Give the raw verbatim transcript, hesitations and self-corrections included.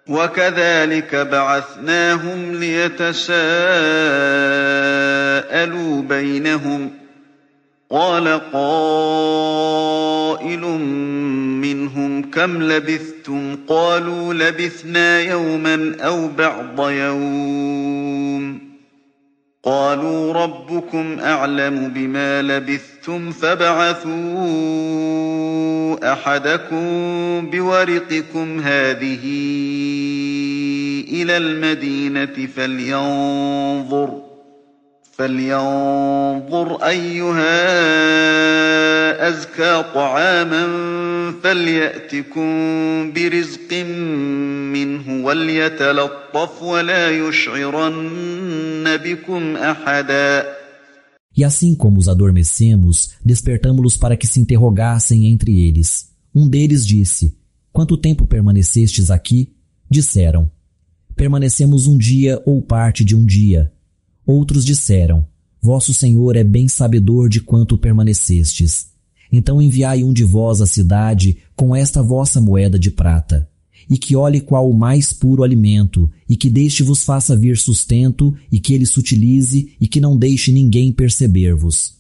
وكذلك بعثناهم ليتساءلوا بينهم قال قائل منهم كم لبثتم قالوا لبثنا يوما أو بعض يوم قالوا ربكم أعلم بما لبثتم فابعثوا أحدكم بورقكم هذه إلى المدينة فلينظر فلينظر أيها أزكى طعاما فليأتكم برزق منه وليتلطف ولا يشعرن بكم أحدا. E assim como os adormecemos, despertamo-los para que se interrogassem entre eles. Um deles disse: Quanto tempo permanecestes aqui? Disseram: Permanecemos um dia ou parte de um dia. Outros disseram: Vosso Senhor é bem sabedor de quanto permanecestes. Então enviai um de vós à cidade com esta vossa moeda de prata, e que olhe qual o mais puro alimento, e que deste vos faça vir sustento, e que ele se utilize, e que não deixe ninguém perceber-vos.